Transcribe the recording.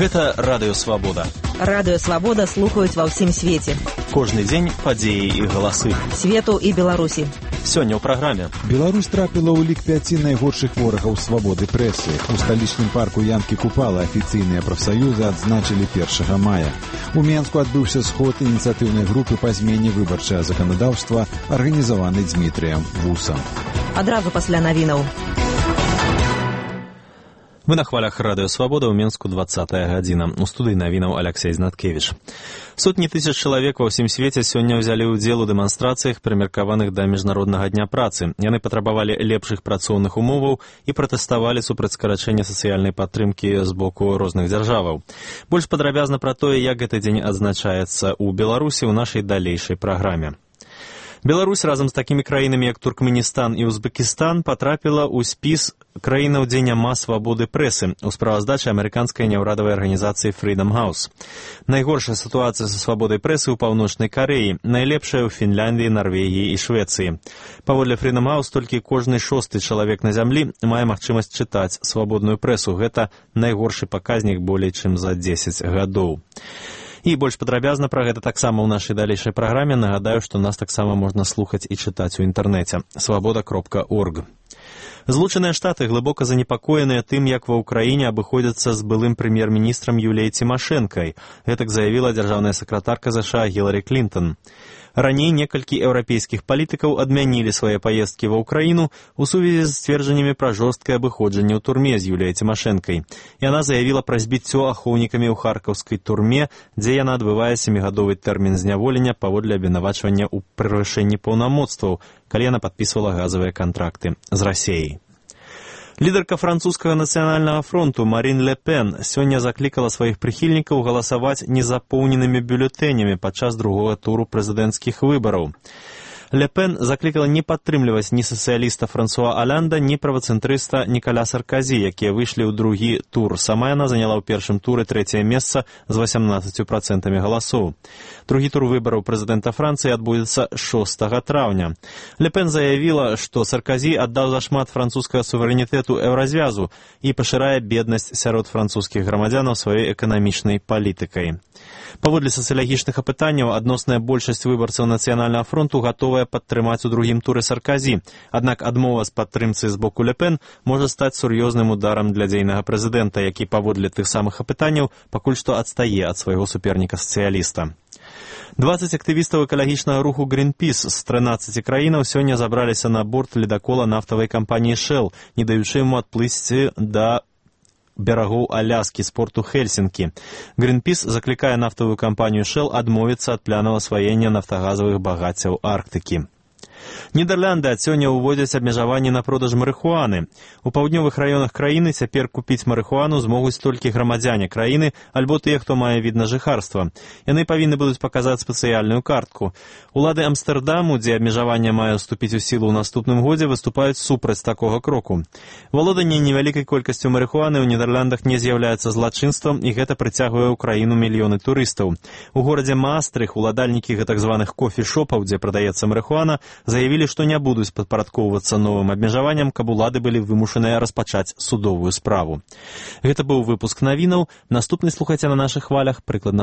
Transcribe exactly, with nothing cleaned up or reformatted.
Гэта Радыё Свабода. Радыё Свабода слухаюць ва ўсім свеце. Кожны дзень падзеі і галасы. Свету і Беларусі. Сёння ў праграме. Беларусь трапіла ў лік пяці найгоршых ворагаў свабоды прэсы. У сталічным парку Янкі Купала афіцыйныя прафсаюзы адзначылі першага мая. У Менску адбыўся сход ініцыятыўнай групы па змене выбарчага заканадаўства, арганізаваны Дзмітрыем Вусам. Адразу пасля навінаў. Мы на хвалях Радыё Свабода ў Менску двадцатая гадзіна. У студыі навінаў Аляксей Знаткевіч. Сотні тысяч чалавек ва ўсім свеце сёння ўзялі ўдзел у дэманстрацыях, прымеркаваных да Міжнароднага дня працы. Яны патрабавалі лепшых працоўных умоваў і пратэставалі супраць скарачэння сацыяльнай падтрымкі з боку розных дзяржаваў. Больш падрабязна пра тое, як гэты дзень адзначаецца ў Беларусі ў нашай далейшай праграме. Беларусь разам з такімі краінамі, як Туркменістан і Узбекістан, патрапіла ў спіс краінаў, дзе няма свабоды прэсы у справаздачы амерыканскай няўрадавай арганізацыі Freedom House. Найгоршая сітуацыя са свабодай прэсы ў Паўночнай Карэі, найлепшая ў Фінляндыі, Нарвегіі і Швецыі. Паводле Freedom House толькі кожны шосты чалавек на зямлі мае магчымасць чытаць свабодную прэсу. Гэта найгоршы паказнік болей чым за дзесяць гадоў. І больш падрабязна пра гэта таксама ў нашай далейшай праграме. Нагадаю, што нас таксама можна слухаць і чытаць у інтэрнэце. свабода кропка орг. Злучаныя Штаты глыбока занепакоеныя тым, як ва ўкраіне абыходзяцца з былым прэм'ер-міністрам Юліяй Цімашэнкай. Гэтак заявіла дзяржаўная сакратарка ЗША Гіларі Клінтон. Раней некалькі еўрапейскіх палітыкаў адмянілі свае паездкі ва ўкраіну у сувязі з сцверджаннямі пра жорсткае абыходжанне ў турме з Юліяй Цімашэнкай. Яна заявіла пра збіццё ахоўнікамі ў харкаўскай турме, дзе яна адбывае сямігадовы тэрмін зняволення паводле абвінавачвання ў превышэнні паўнамоцтваў, калі яна падпісвала газавыя кантракты з Расіяй. Лідарка французскага нацыянальнага фронту Марін Ле Пен сёння заклікала сваіх прыхільнікаў галасаваць незапоўненымі бюлетэнямі падчас другога туру прэзідэнцкіх выбараў. Ле Пен заклікала не падтрымліваць ні сацыяліста Франсуа Алянда, ні правацэнтрыста Нікаля Сарказі, якія выйшлі ў другі тур. Сама яна заняла ў першым туры трэцяе месца з васямнаццаццю працэнтамі галасоў. Другі тур выбараў прэзідэнта Францыі адбудзецца шостага траўня. Ле Пен заявіла, што Сарказі аддаў зашмат французскага суверэнітэту еўразвязу і пашырае беднасць сярод французскіх грамадзянаў сваёй эканамічнай палітыкай. Паводле сацыялагічных апытанняў, адносная большасць выбарцаў нацыянальнага фронту гатовая падтрымаць у другім туры Сарказі. Аднак адмова з падтрымцы з боку Ле Пен можа стаць сур'ёзным ударам для дзейнага прэзідэнта, які паводле тых самых апытанняў пакуль што адстае ад свайго суперніка-сацыяліста. дваццаць актывістаў экалагічнага руху Greenpeace з трынаццаці краінаў сёння забраліся на борт ледакола нафтавай кампаніі Shell, не даючы яму адплысці да берагоў Аляскі з порту Хельсінкі. Greenpeace заклікае нафтавую кампанію Shell адмовіцца ад планаў асваення нафтагазавых багаццяў Арктыкі. Нідерланды ад сёння ўводзяць абмежаванні на продаж марыхуаны. У паўднёвых раёнах краіны цяпер купіць марыхуану змогуць толькі грамадзяне краіны альбо тыя, хто мае від на жыхарства. Яны павінны будуць паказаць спецыяльную картку. Улады Амстэрдаму, дзе абмежаванне мае ўступіць у сілу ў наступным годзе, выступаюць супраць такога кроку. Валоданне невялікай колькасцю марыхуаны ў Нідерландах не з'яўляецца злачынствам, і гэта прыцягвае ў краіну мільёны турыстаў. У горадзе Маастрых уладальнікі гэтак званых кофі-шопаў, дзе прадаецца марыхуана, заявілі, што не будуць падпарадкоўвацца новым абмежаванням, каб улады былі вымушаныя распачаць судовую справу. Гэта быў выпуск навінаў. Наступны слухайце на нашых хвалях прыкладна